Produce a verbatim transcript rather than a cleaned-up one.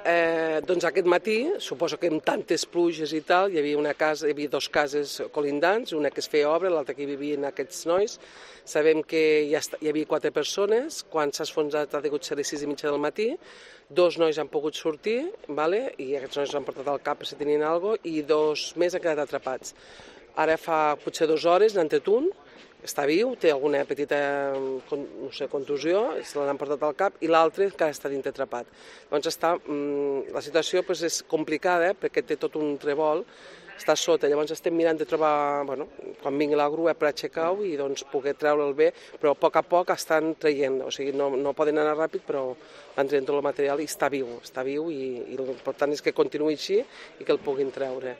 Eh, doncs aquest matí, suposo que amb tantes pluges i tal, hi havia una casa, hi havia dues cases colindants, una que es feia obra, l'altra que hi vivien aquests nois. Sabem que hi, ha, hi havia quatre persones, quan s'ha esfonsat ha degut ser les sis i mitja del matí, dos nois han pogut sortir, vale? I aquests nois han portat al cap per si tenien alguna cosa, i dos més han quedat atrapats. Ara fa potser dues hores n'han tret un, està viu, té alguna petita no sé, contusió, se l'han portat al cap, i l'altre encara està dintre atrapat. Doncs està, la situació doncs, és complicada, eh, perquè té tot un trevol, està sota, llavors estem mirant de trobar, bueno, quan vingui la grua per aixecar-ho i doncs, poder treure'l bé, però a poc a poc estan traient, o sigui, no, no poden anar ràpid, però van traient tot el material i està viu, està viu i, i l'important és que continuï així i que el puguin treure.